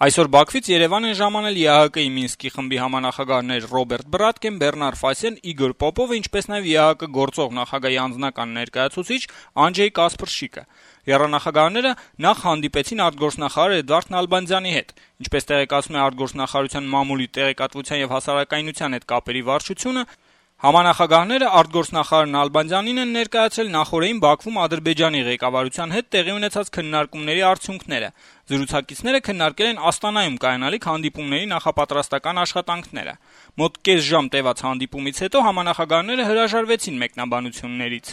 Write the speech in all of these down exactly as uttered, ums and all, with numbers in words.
Այսօր Բաքվից Երևան են ժամանել ԵԱՀԿ-ի Մինսկի խմբի համանախագահներ Ռոբերտ Բրատկեն, Բեռնար Ֆասեն, Իգոր Պոպովը, ինչպես նաև ԵԱՀԿ գործող նախագահի անձնական ներկայացուցիչ Անջեյ Կասպրշիկը։ Եռանախագահները նախ հանդիպեցին արտգործնախարար Էդվարդ Նալբանդյանի հետ։ Ինչպես տեղեկացնում է արտգործնախարարության մամուլի տեղեկատվության եւ հասարակայնության հետ կապերի վարչությունը, համանախագահները արտգործնախարար Նալբանդյանին են ներկայացրել նախօրեին Բաքվում Ադրբեջանի ղեկավարության հետ տեղի ունեցած քննարկումների արդյունքները։ Զրուցակիցները քննարկել են Աստանայում կայանալիք հանդիպումների նախապատրաստական աշխատանքները։ Մոտ կես ժամ տևած հանդիպումից հետո համանախագահները հրաժարվեցին մեկնաբանություններից։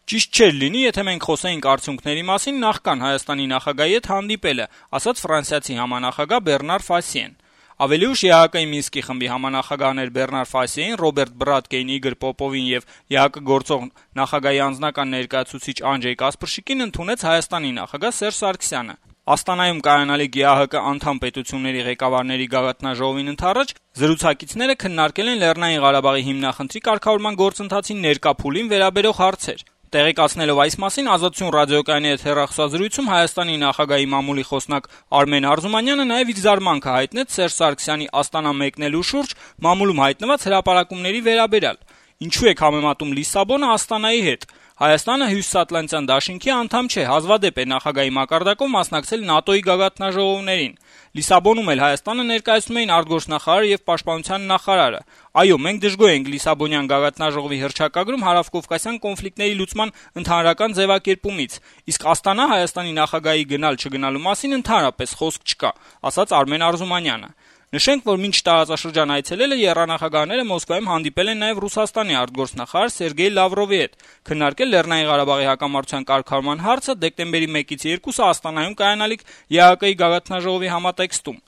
Ճիշտ չէր լինի, եթե մենք խոսեինք արդյունքների մասին նախքան Հայաստանի նախագահի հետ հանդիպելը, ասաց ֆրանսիացի համանախագահ Բեռնար Ֆասիեն։ Ավելի ուշ ԵԱՀԿ-ի Մինսկի խմբի համանախագահներ Բեռնար Ֆասիեն, Ռոբերտ Բրատկեին, Իգոր Պոպովին եւ ԵԱՀԿ գործող նախագահի անձնական ներկայացուցիչ Անջեյ Կասպրշիկին ընդունեց Հայաստանի նախագահ Սերժ Սարգսյանը։ Աստանայում կայանալիք ԵԱՀԿ անդամ պետությունների ղեկավարների գագաթնաժողովին ընդառաջ զրուցակիցները քննարկել են Լեռնային Ղարաբաղի հիմնախնդրի կարգավորման գործընթացին ներկա փուլին վերաբերող հարցեր։ Տեղեկացնելով այս մասին Ազատություն ռադիոկայանի հետ հեռախոսազրույցում Հայաստանի նախագահի մամուլի խոսնակ Արմեն Արզումանյանը նաև իր զարմանքը հայտնեց Սերժ Սարգսյանի Աստանա մեկնելու շուրջ մամուլում հայտնված հրապարակումների վերաբերյալ։ Ինչու եք համեմատում Լիսաբոնը Աստանայի հետ։ Հայաստանը Հյուսիսատլանտյան դաշինքի անդամ չէ, հազվադեպ է նախագահի մակարդակով մասնակցել ՆԱՏՕ-ի գագաթնաժողովներին։ Լիսաբոնում էլ Հայաստանը ներկայացնում էին արտգործնախարարը եւ պաշտպանության նախարարը։ Այո, մենք դժգոհ ենք Լիսաբոնյան գագաթնաժողովի հռչակագրում հարավկովկասյան կոնֆլիկտների լուծման ընդհանրական ձևակերպումից, իսկ Աստանա Հայաստանի նախագահի գնալ-չգնալու մասին ընդհանրապես խոսք չկա, ասաց Արմեն Արզումանյանը։ Նշենք, որ մինչ տարածաշրջան այցելելը եռանախագահները Մոսկվայում հանդիպել են նաև Ռուսաստանի արտգործնախարար Սերգեյ Լավրովի հետ, քննարկել Լեռնային Ղարաբաղի հակամարտության կարգավորման հարցը դեկտեմբերի մեկից երկուսը Աստանայում կայանալիք ԵԱՀԿ-ի գագաթնաժողովի համատեքստում։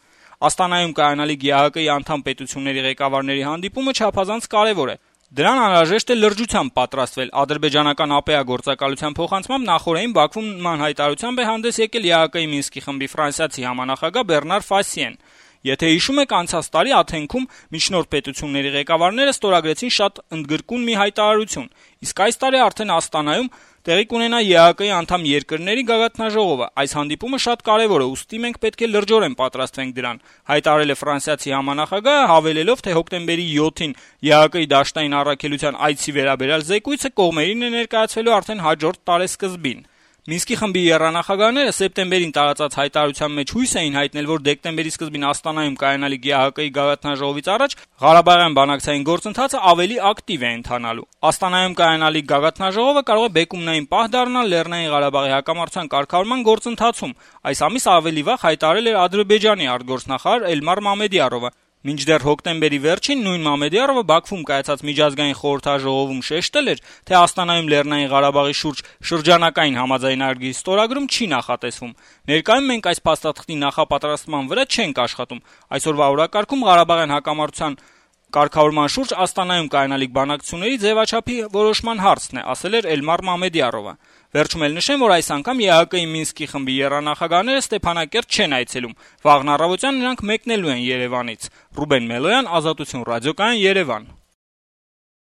Աստանայում կայանալիք ԵԱՀԿ-ի անդամ պետությունների ղեկավարների հանդիպումը չափազանց կարևոր է։ Դրան անհրաժեշտ է լրջությամբ պատրաստվել։ Ադրբեջանական ԱՊԷ գործակալության փոխանցմամբ նախորդին Բաքվում նման հայտարարությամբ է հանդես եկել ԵԱՀԿ-ի Մինսկի խմբի ֆրանսիացի համանախագահ Բեռնար Ֆասիեն։ Եթե հիշում եք, անցած տարի Աթենքում միջնորդ պետությունների ղեկավարները ստորագրեցին շատ ընդգրկուն մի հայտարարություն, իսկ այս տարի արդեն Աստանայում տեղի կունենա ԵԱՀԿ-ի անդամ երկրների գագաթնաժողովը։ Այս հանդիպումը շատ կարևոր է, ուստի մենք պետք է լրջորեն պատրաստվենք դրան, հայտարարել է ֆրանսիացի համանախագահը, հավելելով, թե հոկտեմբերի յոթին ԵԱՀԿ-ի դաշտային առաքելության այցի վերաբերյալ զեկույցը կողմերին է ներկայացվելու արդեն հաջորդ տարեսկզբին։ Մինսկի խմբի եռանախագահները սեպտեմբերին տարածած հայտարարության մեջ հույս էին հայտնել, որ դեկտեմբերի սկզբին Աստանայում կայանալիք ԵԱՀԿ-ի գագաթնաժողովից առաջ Ղարաբաղյան բանակցային գործընթացը ավելի ակտիվ է ընթանալու։ Աստանայում կայանալիք գագաթնաժողովը կարող է բեկումնային պահ դառնալ Լեռնային Ղարաբաղի հակամարտության կարգավորման գործընթացում։ Այս ամիս ավելի վաղ հայտարարել էր Ադրբեջանի արտգործնախարար Էլմար Մամեդյարովը։ Մինչդեռ հոկտեմբերի վերջին նույն Մամեդյարովը Բաքվում կայացած միջազգային խորհրդաժողովում շեշտել էր, թե Աստանայում Լեռնային Ղարաբաղի շուրջ շրջանակային համաձայնագրի ստորագրում չի նախատեսվում։ Ներկայում մենք այս փաստաթղթի նախապատրաստման վրա չենք աշխատում։ Այսօրվա օրակարգում Ղարաբաղյան հակամարտության կարգավորման շուրջ Աստանայում կայանալիք բանակցությունների ձևաչափի որոշման հարցն է, ասել էր Էլմար Մամեդյարովը։ Վերջում էլ նշեմ, որ այս անգամ ԵԱՀԿ-ի Մինսկի խմբի եռանախագահները Ստեփանակերտ չեն այցելում։ Վաղն առավոտյան նրանք մեկնելու են Երևանից։ Ռուբեն Մելոյան, Ազատություն ռադիոկայան, Երևան։